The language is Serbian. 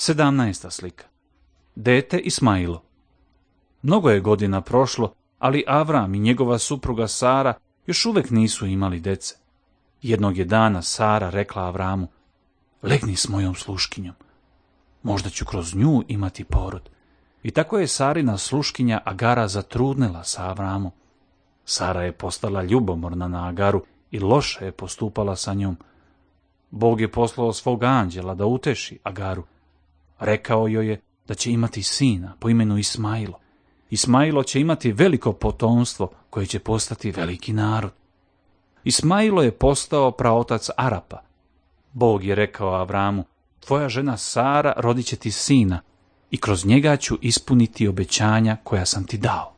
17. slika. Dete Ismailo. Mnogo je godina prošlo, ali Avram i njegova supruga Sara još uvijek nisu imali dece. Jednog je dana Sara rekla Avramu: legni s mojom sluškinjom, možda ću kroz nju imati porod. I tako je Sarina sluškinja Agara zatrudnela sa Avramom. Sara je postala ljubomorna na Agaru i loše je postupala sa njom. Bog je poslao svog anđela da uteši Agaru. Rekao joj je da će imati sina po imenu Ismailo. Ismailo će imati veliko potomstvo koje će postati veliki narod. Ismailo je postao praotac Arapa. Bog je rekao Avramu: tvoja žena Sara rodit će ti sina i kroz njega ću ispuniti obećanja koja sam ti dao.